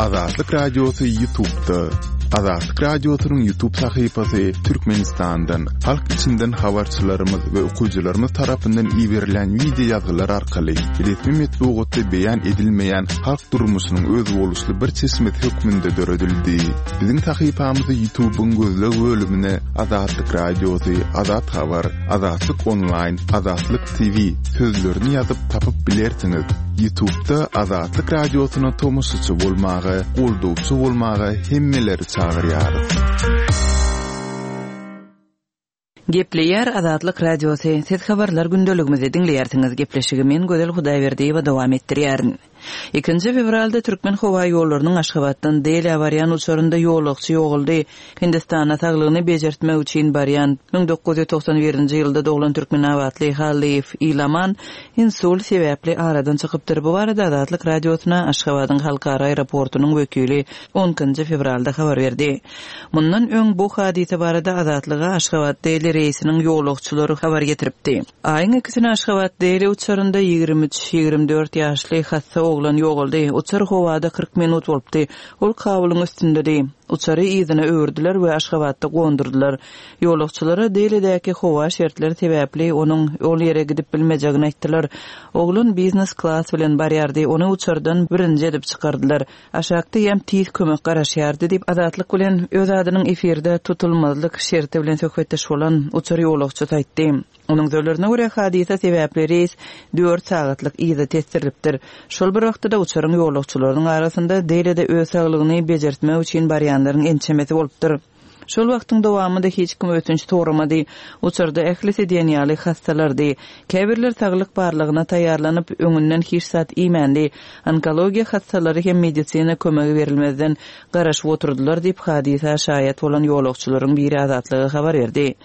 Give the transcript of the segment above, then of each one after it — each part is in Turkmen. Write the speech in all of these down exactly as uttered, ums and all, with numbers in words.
Azatlyk Radiosy YouTube'da. Azatlyk Radiosynyň YouTube sahypasy Türkmenistandan, halk içinden habarçylarymyz we okyjylarymyz tarapyndan iberilen wideo ýazgylar arkaly resmi metbugatda beýan edilmeýän halk durmuşynyň özboluşly bir çeşmesi hökmünde döredildi. Biziň sahypamyzy YouTube'yň gözleg bölümine Azatlyk Radiosy, Azat Habar, Azatlyk Online, Azatlyk T V sözlerini ýazyp tapyp bilersiňiz. YouTube'da Azatlyk Radiosyna tomaşaçy bolmaga, goldawçy bolmaga hemmeleri çagyrýarys. Gepleýär Azatlyk Radiosy. Siz habarlar gündeligimizi diňleýärsiňiz. Gepleşigi men Gözel Hudaýberdiýewa dowam etdirýärin. Ikinji fewralda Türkmen howa ýollarynyň Aşgabatdan Delä barýan uçarynda ýolagçy ýogaldy. Hindistana saglygyny bejertmek üçin barýan müň dokuz ýüz togsan birinji ýylda doglan Türkmenabatly Hallyýew Ilaman insult sebäpli aradan çykypdyr. Bu barada Azatlyk Radiosyna Aşgabadyň halkara aeroportunyň wekili on ikinji fewralda habar berdi. Mundan öň bu hadysa barada Azatlyga Aşgabat Deli reýsiniň ýolagçylary habar getiripdi. Aýyň ikisine Aşgabat Deli uçarynda ýigrimi üç, ýigrimi dört ýaşly hassa oglan ýogaldy. Uçar howada kyrk minut bolupdy. Ol Kabulyň üstündedi. Uçary yzyna öwürdiler we Aşgabatda gondurdylar. Ýolagçylara Delidäki howa şertleri sebäpli onuň ol ýere gidip bilmejegini aýtdylar. Oglan biznes klas bilen barýardy. Ony uçardan birinji edip çykardylar. Aşakda ýem tiz kömek garaşýardy diýip Azatlyk bilen öz adynyň efirde tutulmazlyk şerti bilen söhbetdeş bolan uçar ýolagçysy aýtdy. Onuň sözlerine görä hadysa sebäpli reýs dört sagatlyk yza tesdirilipdir. Şol bir wagtda uçaryň ýolagçylarynyň arasynda Delide öz saglygyny bejertmek üçin barýanlaryň ençemesi bolupdyr. Şol wagtyň dowamynda hiç kim ötünç soramady. Uçarda ählisi diýen ýaly hassalardy. Käbirler saglyk barlygyna taýýarlanyp, öňünden hiç zat iýmändi. Onkologiýa hassalary hem medisina kömegi berilmezden garaşyp oturdylar diýip hadysa şaýat bolan ýolagçylaryň biri Azatlyga habar berdi.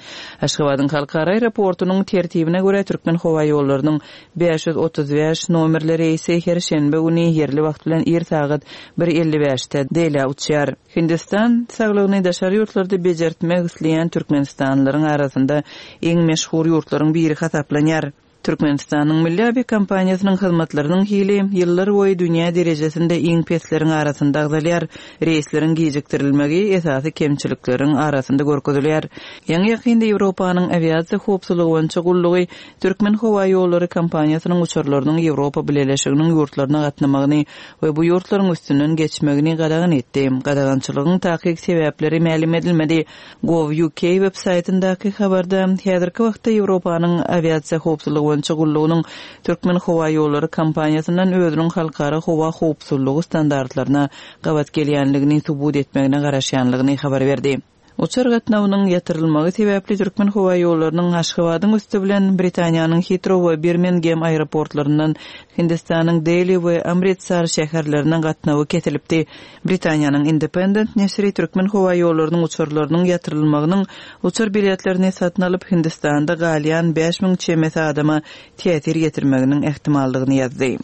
Aşgabadyň halkara aeroportunyň tertibine görä Türkmen howa ýollarynyň bäş ýüz otuz bäş nomerli reýsi her şenbe güni ýerli wagt bilen ir sagat bir elli bäşde Delä uçýar. Hindistan saglygyny daşary ýurtlarda bejertmek isleýän Türkmenistanlylaryň arasynda iň meşhur ýurtlaryň biri hasaplanýar. Türkmenistanyň Milli awiakompaniýasynyň hyzmatlarynyň hili ýyllar boýy dünýä derejesinde iň pesleriň arasynda agzalýar. Reýsleriň gijikdirilmegi esasy kemçilikleriň arasynda görkezilýär. Ýaňy ýakynda Ýewropanyň awiasiýa howpsuzlygy boýunça gullugy Türkmen howa ýollary kompaniýasynyň uçarlarynyň Ýewropa Bileleşiginiň ýurtlaryna gatnamagyny we bu ýurtlaryň üstünden geçmegini gadagan etdi. Gadagançylygyň takyk sebäpleri mälim edilmedi. Gov U K web saýtyndaky habarda häzirki wagtda Ýewropanyň awiasiýa howpsuzlygy boýunça gullugynyň Türkmen howa ýollary kompaniýasyndan özüniň halkara howa howpsuzlygy standartlaryna gabat gelýänligini subut etmegine garaşýanlygyny habar berdi. Uçar gatnawynyň ýatyrylmagy sebäpli Türkmen howa ýollarynyň Aşgabadyň üsti bilen Britaniýanyň Heathrow we Birmingham aeroportlaryndan Hindistanyň Delhi we Amritsar şäherlerine gatnawy kesilipdi. Britaniýanyň Independent neşiri Türkmen howa ýollarynyň uçarlarynyň ýatyrylmagynyň uçar biletlerini satyn alyp Hindistanda galýan bäş müň çemesi adama täsir ýetirmeginiň ähtimallygyny ýazdy.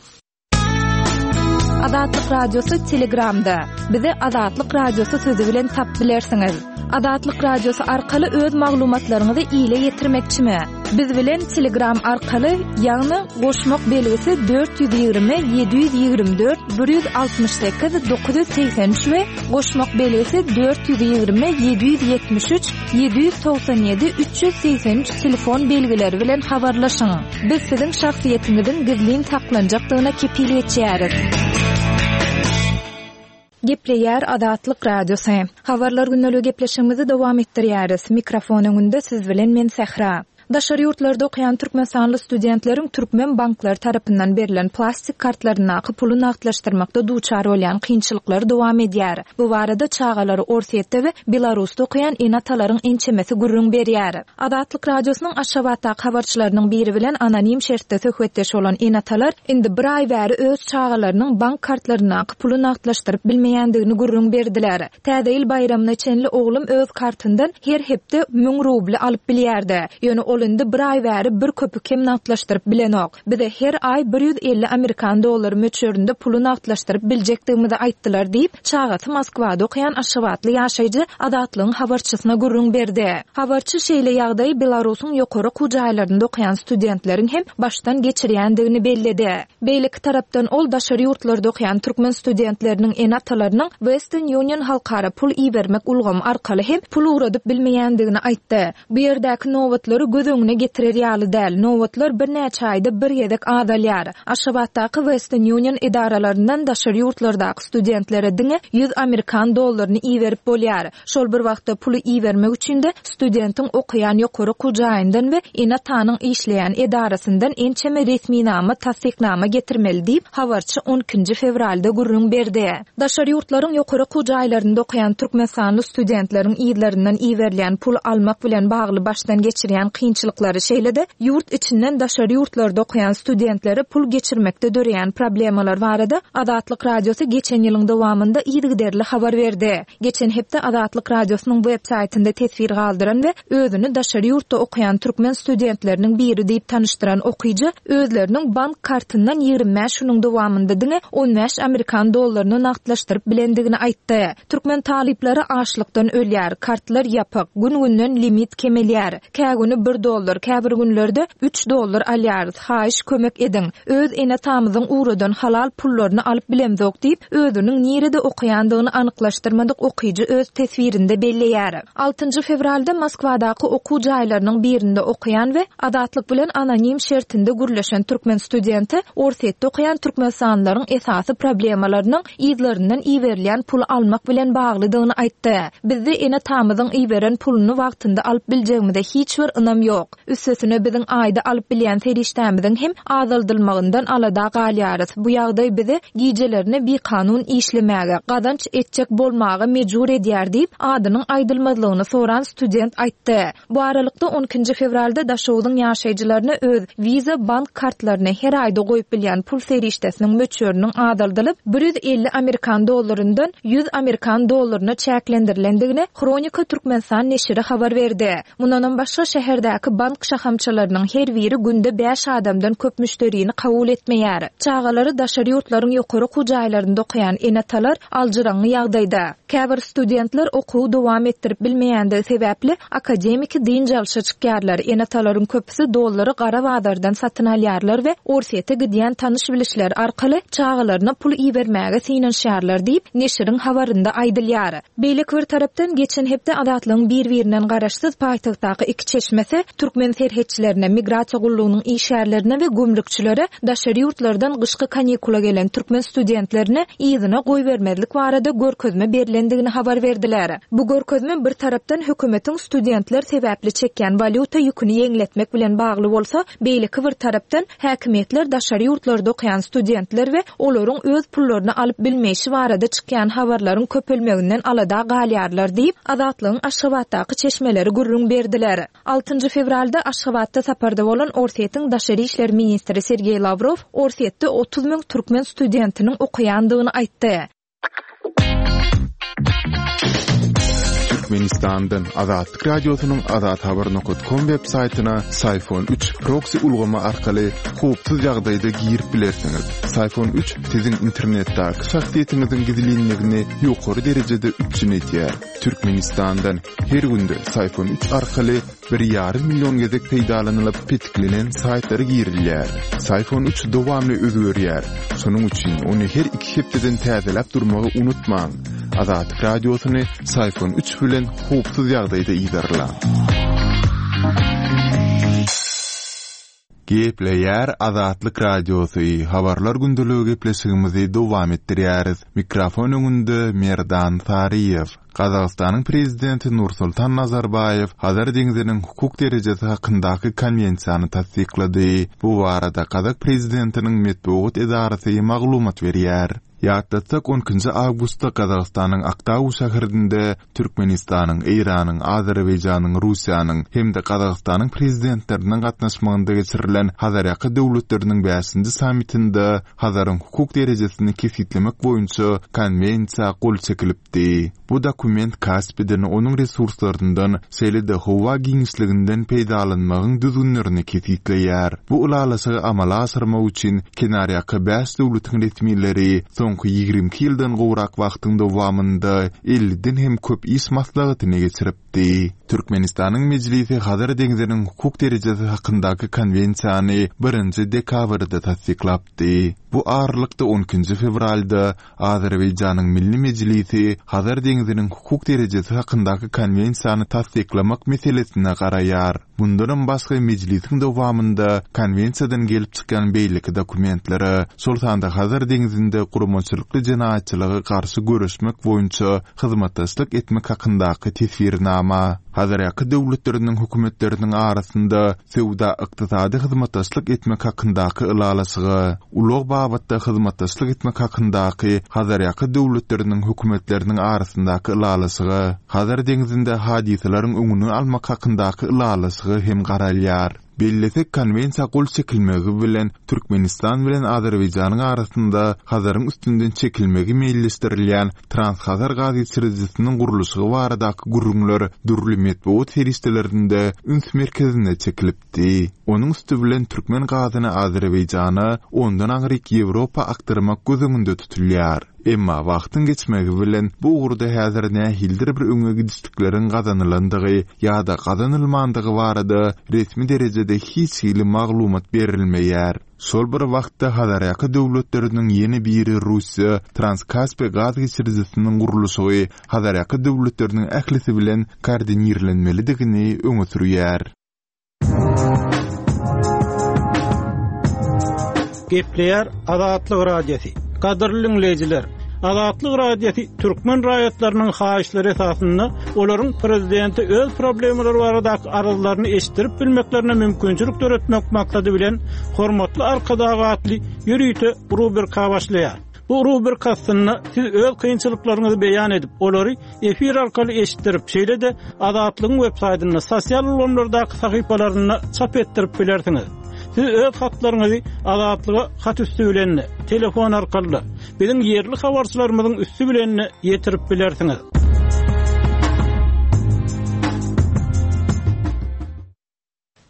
Azatlyk Radiosy Telegramda. Bizi Azatlyk Radiosy sözi bilen tap bilersiňiz. Azatlyk Radiosy arkaly öz maglumatlaryňyzy ile ýetirmekçimi? Biz bilen Telegram arkaly, ýagny goşmak belgisi dört ýüz ýigrimi, ýedi ýüz ýigrimi dört, bir ýüz altmyş sekiz, dokuz ýüz segsen üç we goşmak belgisi dört ýüz ýigrimi, ýedi ýüz ýetmiş üç, ýedi ýüz togsan ýedi, üç ýüz segsen üç telefon belgileri bilen habarlaşyň. Biz siziň şahsyýetiňiziň gizlin saklanjakdygyna kepil geçýäris. Gepleýär Azatlyk Radiosy. Habarlar günlügi gepleşigimizi dowam etdirýäris. Mikrofon öňünde siz bilen men Sähra. Daşary ýurtlarda okaýan Türkmenistanly studentleriň Türkmen banklary tarapyndan berlen plastik kartlaryndaky puly nagtlaşdyrmakda duçar bolýan kynçylyklary dowam edýär. Bu barada çagalary Orsýetde we Belarusda okaýan ene-atalaryň ençemesi gürrüň berýär. Azatlyk Radiosynyň Aşgabatdaky habarçylarynyň biri bilen anonim şertde söhbetdeş bolan ene-atalar indi bir aý bäri öz çagalarynyň bank kartlaryndaky puly nagtlaşdyryp bilmeýändigini gürrüň berdiler. Täze ýyl baýramyna çenli oglum öz kartyndan her hepde müň rubly alyp bilýärdi. Ýöne Ol indi bir aý bäri bir köpük hem nagtlaşdyryp bilenok. Bize her aý bir ýüz elli amerikan dollary möçberinde puly nagtlaşdyryp biljekdigimizi aýtdylar diýip, çagasy Moskwada okaýan Aşgabatly ýaşaýjy Azatlygyň habarçysyna gürrüň berdi. Habarçy şeýle ýagdaýy Belarusyň ýokary okuw jaýlarynda okaýan studentleriň hem başdan geçirýändigini belledi. Beýleki tarapdan ol daşary ýurtlarda okaýan türkmen studentleriniň ene-atalarynyň Western Union halkara pul ibermek ulgamy arkaly hem pul ugradyp bilmeýändigini aýtdy. Bu ýerdäki nobatlary göz öňüne getirer ýaly däl. Nobatlar birnäçe aýda bir gezek azalýar. Aşgabatdaky Western Union edaralaryndan daşary ýurtlardaky studentlere diňe ýüz amerikan dollaryny iberip bolýar. Şol bir wagtda puly ibermek üçin de studentiň okaýan ýokary okuw jaýyndan we ene-atanyň işleýän edarasyndan ençeme resminama, tassyknama getirmeli diýip, habarçy on ikinji fewralda gürrüň berdi. Daşary ýurtlaryň ýokary okuw jaýlarynda okaýan türkmenistanly studentleriň ýerlerinden iberilýän pul almak bilen bagly başdan geçirýän kynçylyklary, şeýle-de ýurt içinden daşary ýurtlarda okaýan studentlere pul geçirmekde döreýän problemalar barada Azatlyk Radiosy geçen ýylyň dowamynda yzygiderli habar berdi. Geçen hepde Azatlyk Radiosynyň web saýtynda teswir galdyran we özüni daşary ýurtda okaýan türkmen studentleriniň biri diýip tanyşdyran okyjy özleriniň bank kartyndan ýigrimi bäş günüň dowamynda diňe on bäş amerikan dollaryny nagtlaşdyryp bilendigini aýtdy. Türkmen talyplary açlykdan ölýär, kartlar ýapyk, gün-günden limit kemelýär. Kä güni bir dollar, käbir günlerde üç dollar alýarys. Haýyş kömek ediň. Öz ene-atamyzyň ugradan halal pullaryny alyp bilemzok diýip, özüniň nirede okaýandygyny anyklaşdyrmadyk okyjy öz teswirinde belleýär. Altynjy fewralda Moskwadaky okuw jaýlarynyň birinde okaýan we Azatlyk bilen anonim şertinde gürleşen türkmen studenti Orsýetde okaýan türkmenistanlylaryň esasy problemalarynyň ýerlerinden iberilýän puly almak bilen baglydygyny aýtdy. Bizde ene-atamyzyň iberen puluny wagtynda alyp biljegimize hiç bir ynam ýok. Üstesine biziň aýda alyp bilýän serişdämiziň hem azaldylmagyndan alada galýarys. Bu ýagdaý bizi gijelerini bikanun işlemäge, gazanç etjek bolmaga mejbur edýär diýip, adynyň aýdylmazlygyny soran student aýtdy. Bu aralykda on ikinji fewralda Daşoguzyň ýaşaýjylaryna öz Visa bank kartlaryny her aýda goýup bilýän pul serişdesiniň möçberiniň azaldylyp, bir ýüz elli amerikan dollaryndan ýüz amerikan dollaryna çäklendirilendigini Hronika Türkmenistan neşiri habar berdi. Mundanam başga şäherdäki bank şahamçalarynyň her biri günde bäş adamdan köp müşderini kabul etmeýär. Çagalary daşary ýurtlaryň ýokary okuw jaýlarynda okaýan ene-atalar aljyraňňy ýagdaýda. Käbir studentler okuwy dowam etdirip bilmeýändigi sebäpli akademiki dynç alşa çykýarlar. Ene-atalaryň köpüsi dollary gara bazardan satyn alýarlar we Orsýete gidýän tanyş bilişler arkaly çagalaryna pul ibermäge synanyşýarlar diýip, neşiriň habarynda aýdylýar. Beýleki bir tarapdan geçen hepde Azatlygyň bir-birinden garaşsyz paýtagtdaky iki çeşmesi türkmen serhetçilerine, migrasiýa gullugynyň işgärlerine we gümrükçilere daşary ýurtlardan gyşky kanikula gelen türkmen studentlerine yzyna goýbermezlik barada görkezme berilendigini habar berdiler. Bu görkezme bir tarapdan hökümetiň studentler sebäpli çekýän walýuta ýüküni ýeňletmek bilen bagly bolsa, beýleki bir tarapdan häkimiýetler daşary ýurtlarda okaýan studentler we olaryň öz pullaryny alyp bilmeýşi barada çykýan habarlaryň köpelmeginden alada galýarlar diýip, Azatlygyň Aşgabatdaky çeşmeleri gürrüň berdiler. Altynjy fewralda Aşgabatda saparda bolan Orsýetiň daşary işler ministri Sergeý Lavrov Orsýetde otuz müň türkmen studentiniň okaýandygyny aýtdy. Türkmenistandan Azatlyk Radiosynyň Azat Habar nokta com web saýtyna Syfon üç proxy ulgamy arkaly howpsuz ýagdaýda girip bilersiňiz. Syfon üç siziň internetdäki şahsyýetiňiziň gizlinligini ýokary derejede üpjün edýär. Türkmenistandan her günde Syfon üç arkaly bir ýarym million gezek peýdalanylyp petiklenen saýtlara girilýär. Syfon üç dowamly özgerýär. Şonuň üçin ony her iki hepdeden täzeläp durmagy unutmaň. Azatlyk Radiosyny Syfon üç bilen howpsuz ýagdaýda ýerleň. Gepleýär Azatlyk Radiosy. Habarlar gündeligi gepleşigimizi dowam etdirýäris. Mikrofon öňünde Merdan Saryýew. Gazagystanyň prezidenti Nursultan Nazarbaýew Hazar deňziniň hukuk derejesi hakyndaky konwensiýany tassyklady. Bu barada Gazak prezidentiniň metbugat edarasy maglumat berýär. Ýatlatsak, on ikinji awgustda Gazagystanyň Aktau şäherinde Türkmenistanyň, Eýranyň, Azerbaýjanyň, Russiýanyň hem-de Gazagystanyň prezidentleriniň gatnaşmagynda geçirilen Hazarýaka döwletleriniň bäşinji sammitinde Hazaryň hukuk derejesini kesgitlemek boýunça konwensiýa gol çekilipdi. Bu dokument Kaspiden, onuň resurslaryndan, şeýle-de howa giňişliginden peýdalanmagyň düzgünlerini kesgitleýär. Bu ylalaşygy amala aşyrmak üçin kenarýaka bäş döwletiň resmileri soňky ýigrimi iki ýyldan gowrak wagtyň dowamynda elliden hem köp iş maslahatyny geçiripdi. Türkmenistanyň Mejlisi Hazar deňziniň hukuk derejesi hakyndaky konwensiýany birinji dekabrda tassyklapdy. Bu aralykda on ikinji fewralda Azerbaýjanyň Milli Mejlisi Hazar deňziniň hukuk derejesi hakyndaky konwensiýany tassyklamak meselesine garaýar. Bundanam başga mejlisiň dowamynda konwensiýadan gelip çykýan beýleki dokumentlere, şol sanda Hazar deňzinde guramaçylykly jenaýatçylyga garşy göreşmek boýunça hyzmatdaşlyk etmek hakyndaky teswirnama, Hazarýaka döwletleriniň hökümetleriniň arasynda söwda-ykdysady hyzmatdaşlyk etmek hakyndaky ylalaşyga, ulag babatda hyzmatdaşlyk etmek hakyndaky Hazarýaka döwletleriniň hökümetleriniň arasyndaky ylalaşyga, Hazar deňzinde hadysalaryň öňüni almak hakyndaky ylalaşyga hem garalýar. Bellesek, konwensiýa gol çekilmegi bilen Türkmenistan bilen Azerbaýjanyň arasynda Hazaryň üstünden çekilmegi meýilleşdirilýän Transhazar gaz geçirijisiniň gurluşygy baradaky gürrüňler dürli metbugat serişdelerinde üns merkezine çekilipdi. Onuň üsti bilen türkmen gazyny Azerbaýjana, ondan aňryk Ýewropa akdyrmak göz öňünde tutulýar. Emma wagtyň geçmegi bilen bu ugurda häzir nähilidir bir öňe gidişlikleriň gazanylandygy ýa-da gazanylmandygy barada resmi derejede hiç hili maglumat berilmeýär. Şol bir wagtda Hazarýaka döwletleriniň ýene biri Russiýa Transkaspi gaz geçirijisiniň gurluşygy Hazarýaka döwletleriniň ählisi bilen koordinirlenmelidigini öňe sürýär. Gepleýär Azatlyk Radiosy. Gadyrly dinleýjiler, Azatlyk Radiosy türkmen raýatlarynyň haýyşlary esasynda olaryň prezidenti öz problemalary baradaky arzlaryny eşitdirip bilmeklerine mümkinçilik döretmek maksady bilen Hormatly Arkadag atly ýörite rubrika başlaýar. Bu rubrika aslynda siz öz kynçylyklaryňyzy beýan edip, olary efir arkaly eşitdirip, şeýle-de Azatlygyň web saýtynda, sosial ulgamlardaky sahypalarynda çap etdirip bilersiňiz. Siz öz hatlaryňyzy Azatlyga hat üstü bilen, telefon arkaly, biziň ýerli habarçylarymyzyň üstü bilen ýetirip bilersiňiz.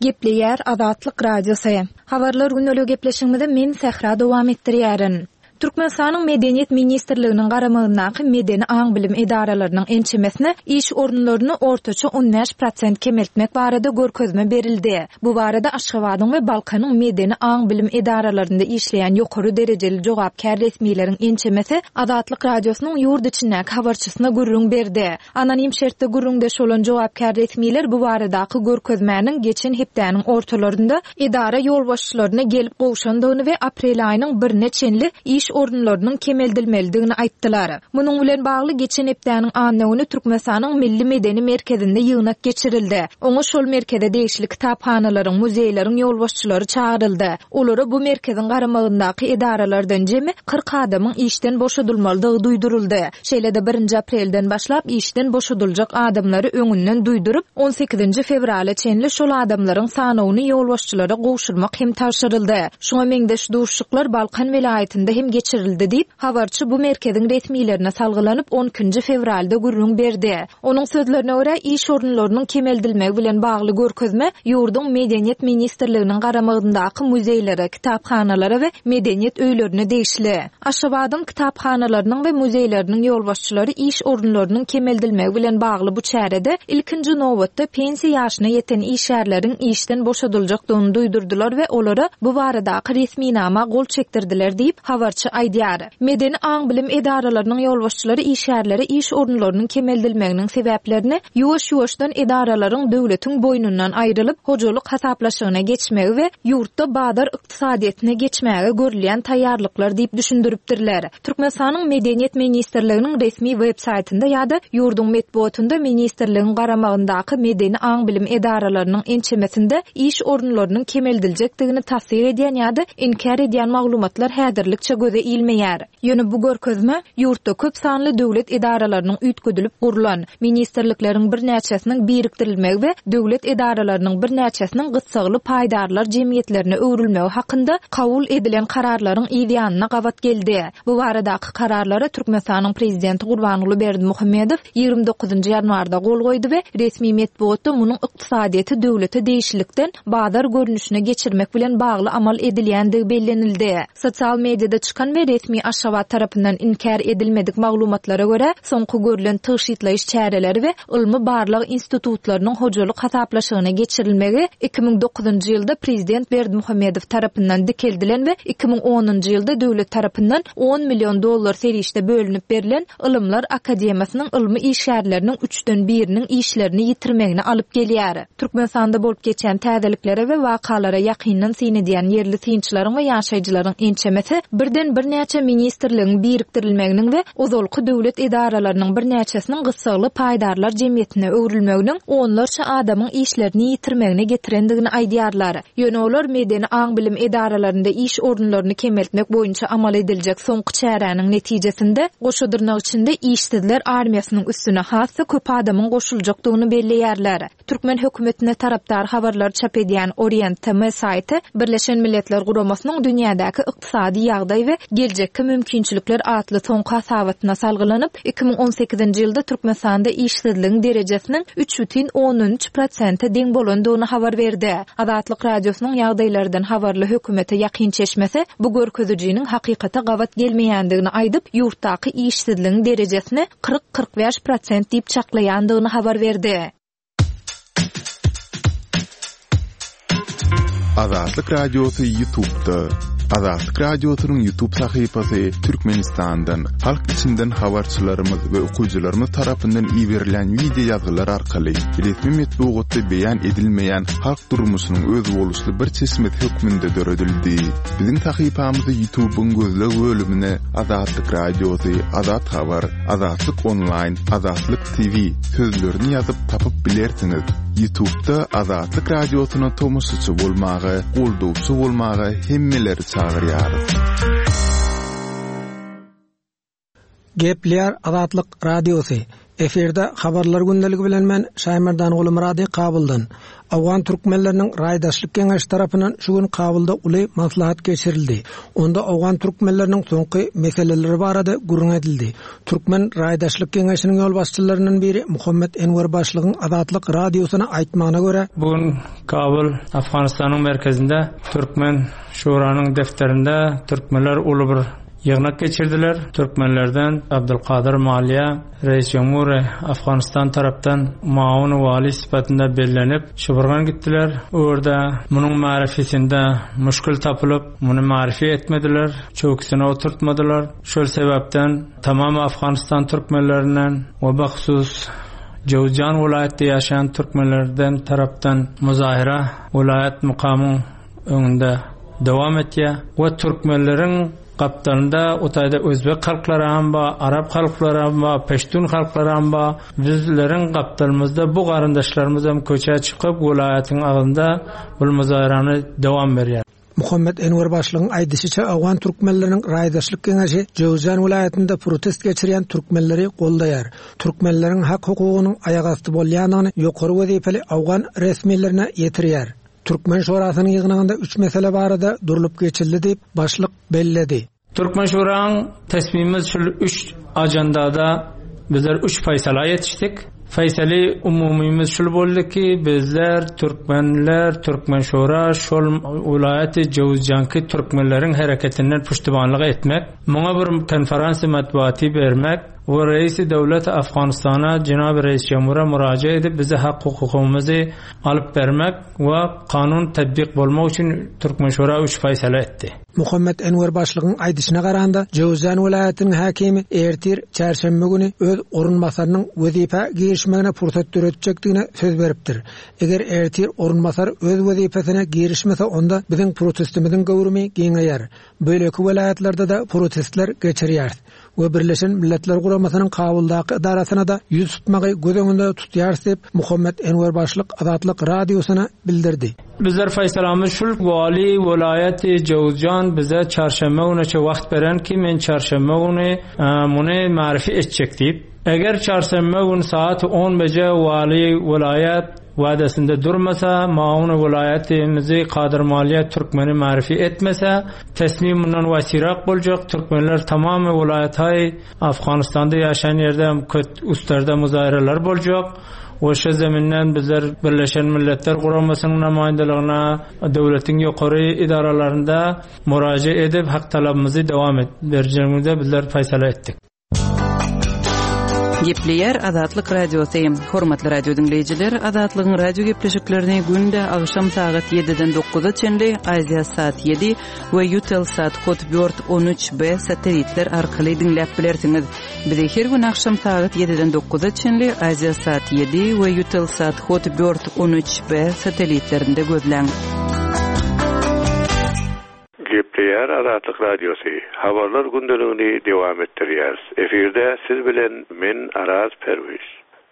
Gepleýär Azatlyk Radiosy. Habarlar gündelik gepleşigimizi men Sähra dowam etdirýärin. Türkmenistanyň Medeniýet Ministrliginiň garamagyndaky medeni aň-bilim edaralarynyň ençemesine iş orunlaryny ortaça on bäş prosent kemeltmek barada görkezme berildi. Bu barada Aşgabadyň we Balkanyň medeni aň-bilim edaralarynda işleýän ýokary derejeli jogapkär resmileriň ençemesi Azatlyk Radiosynyň ýurt içindäki habarçysyna gürrüň berdi. Anonim şertde gürrüňdeş bolan jogapkär resmiler bu baradaky görkezmäniň geçen hepdäniň ortalarynda edara ýolbaşçylaryna gelip gowşandygyny we aprel aýynyň birine çenli iş orunlarynyň kemeldilmelidigini aýtdylar. Munuň bilen bagly geçen hepdäniň anna güni Türkmenistanyň Milli Medeni Merkezinde ýygnak geçirildi. Oňa şol merkeze degişli kitaphanalaryň, muzeýleriň ýolbaşçylary çagyryldy. Olara bu merkeziň garamagyndaky edaralardan jemi kyrk adamyň işden boşadylmalydygy duýduryldy. Şeýle-de birinji aprelden başlap işden boşadyljak adamlary öňünden duýduryp, on sekizinji fewrala çenli şol adamlaryň sanawyny ýolbaşçylara gowşurmak hem tabşyryldy. Şuňa meňzeş duşuşyklar Balkan welaýatynda hem geçirildi diýip, habarçy bu merkeziň resmilerine salgylanyp on ikinji fewralda gürrüň berdi. Onuň sözlerine görä, iş orunlarynyň kemeldilmegi bilen bagly görkezme ýurduň Medeniýet Ministrliginiň garamagyndaky muzeýlere, kitaphanalara we medeniýet öýlerine degişli. Aşgabadyň kitaphanalarynyň we muzeýleriniň ýolbaşçylary iş orunlarynyň kemeldilmegi bilen bagly bu çärede ilkinji nobatda pensiýa ýaşyna ýeten işgärleriň işden boşadyljakdygyny duýdurdylar we olara bu baradaky resminama gol çekdirdiler diýip habarçy aýdýar. Medeni aň-bilim edaralarynyň ýolbaşçylary işgärlere iş orunlarynyň kemeldilmeginiň sebäplerini ýuwaş-ýuwaşdan edaralaryň döwletiň boýnundan aýrylyp, hojalyk hasaplaşygyna geçmegi we ýurtda bazar ykdysadyýetine geçmäge görülýän taýýarlyklar diýip düşündiripdirler. Türkmenistanyň Medeniýet Ministrliginiň resmi web saýtynda ýa-da ýurduň metbugatynda ministrligiň garamagyndaky medeni aň-bilim edaralarynyň ençemesinde iş orunlarynyň kemeldiljekdigini tassyk edýän ýa-da inkär edýän maglumatlar häzirlikçe göze göze ilmeýär. Ýöne bu görkezme ýurtda köp sanly döwlet edaralarynyň üýtgedilip gurlan, ministrlikleriň birnäçesiniň birikdirilmegi we döwlet edaralarynyň birnäçesiniň gyssagly paýdarlar jemgyýetlerine öwrülmegi hakynda kabul edilen kararlaryň ýanyna gabat geldi. Bu baradaky kararlara Türkmenistanyň prezidenti Gurbanguly Berdimuhamedow ýigrimi dokuzynjy ýanwarda gol goýdy we resmi metbugatda munuň ykdysadyýeti döwlete degişlilikden bazar görnüşine geçirmek bilen bagly amal edilýändigi bellenildi. Sosial mediada çykan we resmi Aşgabat tarapyndan inkär edilmedik maglumatlara görä, soňky görülen tygşytlaýyş çäreleri we ylmy barlag institutlarynyň hojalyk hasaplaşygyna geçirilmegi iki müň dokuzynjy ýylda prezident Berdimuhamedow tarapyndan dikeldilen we iki müň onunjy ýylda döwlet tarapyndan on million dollar serişde bölünip berlen Ylymlar Akademiýasynyň ylmy işgärleriniň üçden biriniň işlerini ýitirmegini alyp gelýär. Türkmenistanda bolup geçen täzeliklere we wakalara ýakyndan syn edýän ýerli synçylaryň we ýaşaýjylaryň ençemesi birden birnäçe ministrligiň birikdirilmeginiň we ozalky döwlet edaralarynyň birnäçesiniň gyssagly paýdarlar jemgyýetine öwrülmeginiň onlarça adamyň işlerini ýitirmegine getirendigini aýdýarlar. Ýöne olar medeni aň-bilim edaralarynda iş orunlaryny kemeltmek boýunça amal ediljek soňky çäräniň netijesinde goşa dyrnak içinde işsizler armiýasynyň üstüne has-da köp adamyň goşuljakdygyny belleýärler. Türkmen hökümetine tarapdar habarlar çap edýän Orient T M saýty Birleşen Milletler Guramasynyň dünýädäki ykdysady ýagdaý we geljekki mümkinçilikler atly soňky hasabatyna salgylanyp, iki müň on sekizinji ýylda Türkmenistanda işsizligiň derejesiniň üç bütin ondan üç prosente deň bolandygyny habar berdi. Azatlyk Radiosynyň ýagdaýlardan habarly hökümete ýakyn çeşmesi bu görkezijiniň hakykata gabat gelmeýändigini aýdyp, ýurtdaky işsizligiň derejesini kyrk-kyrk bäş prosent diýip çaklaýandygyny habar berdi. Azatlyk Radiosy YouTube'da. Azatlyk Radiosynyň YouTube sahypasy Türkmenistandan, halk içinden habarçylarymyz we okyjylarymyz tarapyndan iberilen video ýazgylar arkaly resmi metbugatda beýan edilmeýän halk durmuşynyň özboluşly bir çeşmesi hökmünde döredildi. Biziň sahypamyzy YouTube'yň gözleg bölümine Azatlyk Radiosy, Azat Habar, Azatlyk Online, Azatlyk T V sözlerini ýazyp tapyp bilersiňiz. YouTube'da Azatlyk Radiosyna tomaşaçy bolmaga, goldawçy bolmaga hemmeleri çagyrýarys. Gepler Azatlyk Radiosy. Efirde habarlar gündeligi bilen men Şaýmerdan Gulmurady Kabuldan. Awgan türkmenleriniň raýdaşlyk geňeşi tarapyndan şu gün Kabulda uly maslahat geçirildi. Onda Awgan türkmenleriniň soňky meseleleri barada gürrüň edildi. Türkmen raýdaşlyk geňeşiniň ýolbaşçylaryndan biri Muhammet Enwer Başlygyň Azatlyk Radiosyna aýtmagyna görä, Bugün Kabul Afganistanyň merkezinde Türkmen Şuranyň defterinde türkmenler uly bir ýygnak geçirdiler. Türkmenlerden Abdülkadir Maliýe Reis Cumhur Afganistan tarapdan Maun Wali sypatynda bellenip Şuburgan gitdiler. Orada munuň marifisinde muşkul tapylyp, muny marifi etmediler, çöküsine oturtmadylar. Şol sebäpden tamam Afganistan türkmenlerinden we bahsus Jowzjan welaýatda ýaşaýan türkmenlerden tarapdan muzahara welaýat mukamyň öňünde dowam etýär we türkmenleriň gapdalynda otayda Özbek halklary hem bar, Arap halklary hem bar, Peştun halklary hem bar. Bizleriň gapdalymyzda bu garyndaşlarymyz hem köçe çykyp welaýatyň agzynda bu muzaharany dowam berýär. Muhammet Enwer Başlygyň aýdyşyça Awgan türkmenleriniň raýdaşlyk geňeşi Jowzjan welaýatynda protest geçirýän türkmenleri goldaýar. Türkmenleriň hak hukugynyň aýagasty bolýanyny ýokary wezipeli Awgan resmilerine ýetirýär. Türkmen Şurasynyň ýygnagynda üç mesele barada durlup geçildi diýip başlyk belledi. Türkmen Şuraň tesmimiz şu üç ajandada bizler üç faysala yetiştik. Faysali umumimiz şul boldy ki bizler türkmenler, Türkmen Şura şol welaýaty Jowzjanki türkmenleriň hereketinden puştubanlyk etmek, muňa bir konferansiýa matbuaty bermek we reisi döwlet Afganistana Cenab-ı Reis Cumhur'a müracaat edip bize hak hukukumuzy alyp bermek we kanun tatbik bolmak üçin Türkmen Şura üç faysala etdi. Muhammet Enwer Başlygyň aýdyşyna garanda Jowzjan welaýatynyň hakimi ertir çarşenbe güni öz orunbasarynyň wezipe girişmegine pursat döretjekdigine söz beripdir. Eger ertir orunbasar öz wezipesine girişmese onda biziň protestimiziň göwrümi giňeýär. Böleki welaýatlarda da protestler geçirýär we Birleşen Milletler Guramasynyň Kabuldaky edarasyna da ýüz tutmagy göz öňünde tutýar diýip Muhammet Enwer Başlyk Azatlyk Radiosyna bildirdi. Bizler faysalamyz şul wali welaýaty Jowzjan bize çarşenbe güni wagt beren ki men çarşenbe güni muny marifi etjek diýip. Eger çarşenbe güni saat on beje wali welaýat wadasynda durmasa, maun welaýatymyzy Kadyr Maliýe Türkmeni marifi etmese, teslim mundan wasirak boljak. Türkmenler tamamy welaýatay Afganistanda ýaşaýan ýerde köt üstlerde muzaýralar boljak. Oşa zeminden bizler Birleşen Milletler Guramasynyň namaýyndalygyna döwletiň ýokary idaralarynda muraja edip hak talabymyzy dowam et berjegimize bizler faýsala etdik. Gepleýär Azatlyk Radiosy. Hormatly radio diňleýjiler, Azatlygyň radio gepleşiklerini günde agşam sagat ýediden dokuza çenli Aziýa saat ýedi we Eutelsat Hotbird on üç B satelitler arkaly diňläp bilersiňiz. Bizi her gün agşam sagat ýediden dokuza çenli Aziýa saat ýedi we Eutelsat Hotbird on üç B satelitlerinde gözläň. Gepleýär Azatlyk Radiosy. Habarlar gündeligini dowam etdirýär. Efirde siz bilen men Araz Perwiz.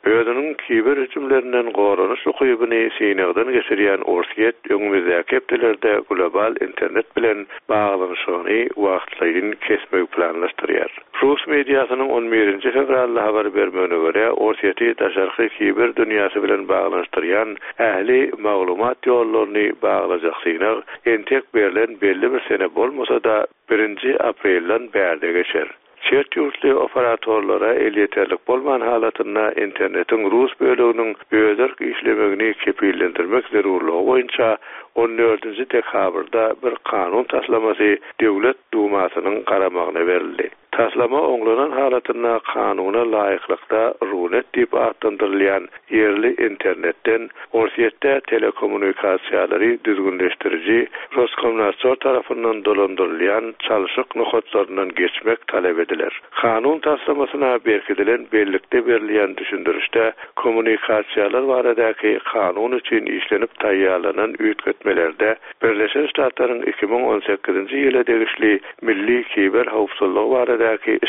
Özüniň kiber hüjümlerinden goranyş ukybyny synagdan geçirýän Orsýet öňümizdäki hepdelerde global internet bilen baglanyşygyny wagtlaýyn kesmegi planlaşdyrýar. Rus mediasynyň on birinji fewralda habar bermegine görä, Orsýeti daşarky kiber dünýäsi bilen baglanyşdyrýan ähli maglumat ýollaryny baglajak synag entek berlen belli bir sene bolmasa-da birinji aprelden bärde geçer. Çet ýurtly operatorlara elýeterlik bolman halatynda internetiň rus böleginiň özerk işlemegini kepillendirmek zerurlygy boýunça on dördünji dekabrda bir kanun taslamasy Döwlet Dumasynyň garamagyna berildi. Taslama oňlanan halatynda kanuna laýyklykda Runet diýip atlandyrylýan ýerli internetden Orsýetde telekommunikasiýalary düzgünleşdiriji Roskomnadzor tarapyndan dolandyrylýan çalşyk nokatlaryndan geçmek talap ediler. Kanun taslamasyna berkidilen bellikde berilýän düşündirişde kommunikasiýalar baradaky kanun üçin işlenip taýýarlanan üýtgetmelerde Birleşen Ştatlaryň iki müň on sekizinji ýyla degişli milli kiber howpsuzlygy baradaky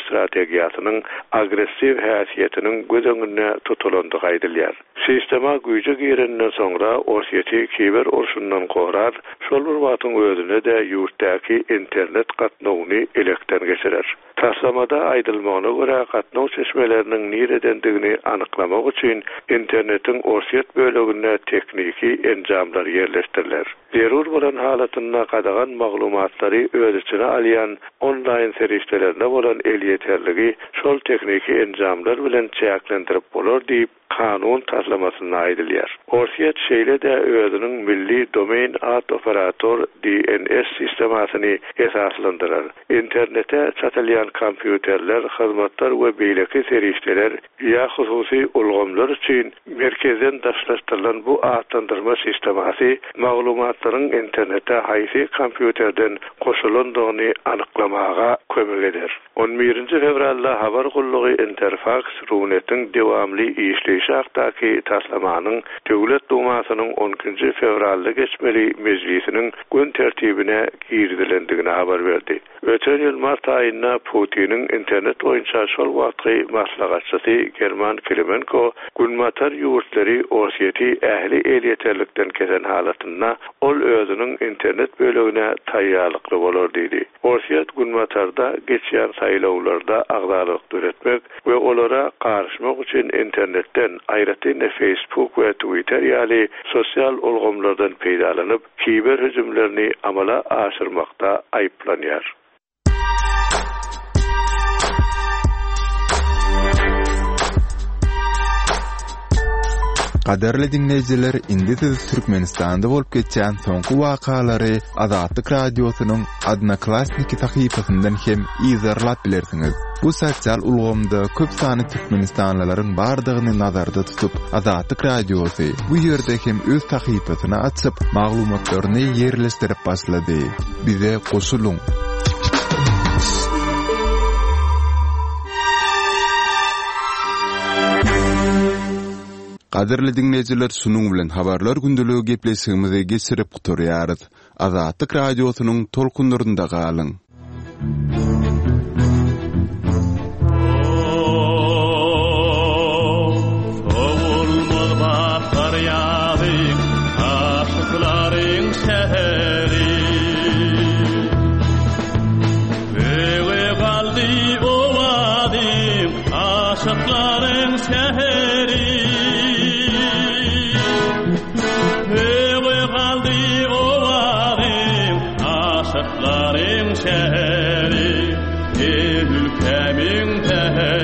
strategiýasynyň agressiw häsiýetiniň göz öňünde tutulandygy aýdylýar. Sistema güýje girenden soňra Orsýeti kiber urşundan gorar, şol bir wagtyň özünde-de ýurtdaky internet gatnawyny elekden geçirer. Taslamada aýdylmagyna görä gatnaw çeşmeleriniň niredendigini anyklamak üçin internetiň Orsýet böleginde tehniki enjamlar ýerleşdiriler. Zerur bolan halatynda gadagan maglumatlary öz içine alýan onlaýn serişdelerine bolan elýeterligi şol tehniki enjamlar bilen çäklendirip bolar diýip kanun taslamasynda aýdylýar. Orsýet şeýle-de özüniň milli domain ad operator D N S sistemasyny esaslandyrar. Internete çatylýan kompýuterler, hyzmatlar we beýleki serişdeler ýa hususy ulgamlar üçin merkezden daşlaşdyrylan bu atlandyrma sistemasy maglumatlaryň internete haýsy kompýuterden goşulandygyny anyklamaga kömek eder. on birinji fewralda habar gullugy Interfax Runetiň dowamly işleýşi hakdaky taslamanyň Döwlet Dumasynyň on ikinji fewralda geçmeli mejlisiniň gün tertibine girizilendigini habar berdi. Öten ýyl mart aýynda Putiniň internet boýunça şol wagtky maslahatçysy German Klimenko Günbatar ýurtlary Orsýeti ähli elýeterlikden kesen halatynda ol özüniň internet bölegine taýýarlykly bolar diýdi. Orsýet Günbatarda geçýän saýlawlarda agzalyk döretmek we olara garyşmak üçin internetden, aýratyn Facebook we Twitter ýaly sosial ulgamlardan peýdalanyp, kiber hüjümlerini amala aşyrmakda aýyplanýar. Gadarly dinleýjiler, indi siz Türkmenistanda bolup geçýän soňky wakalary Azatlyk Radiosynyň Odnoklassniki sahypasyndan hem yzarlap bilersiňiz. Bu sosial ulgamda köp sany türkmenistanlylaryň bardygyny nazarda tutup, Azatlyk Radiosy bu ýerde hem öz sahypasyny açyp, maglumatlaryny ýerleşdirip başlady. Bize goşulyň. Gadyrly dinleýjiler, şunuň bilen habarlar gündeligi gepleşigimizi geçirip gutarýarys. Azatlyk Radiosynyň tolkunlarynda galyň. Sowulmaz bahar ýagy, aşyklary Aşyklaryň şäheri. Öwe galdy owazyň, aşyklaryň şäheri. Ey ülkämiň säheri.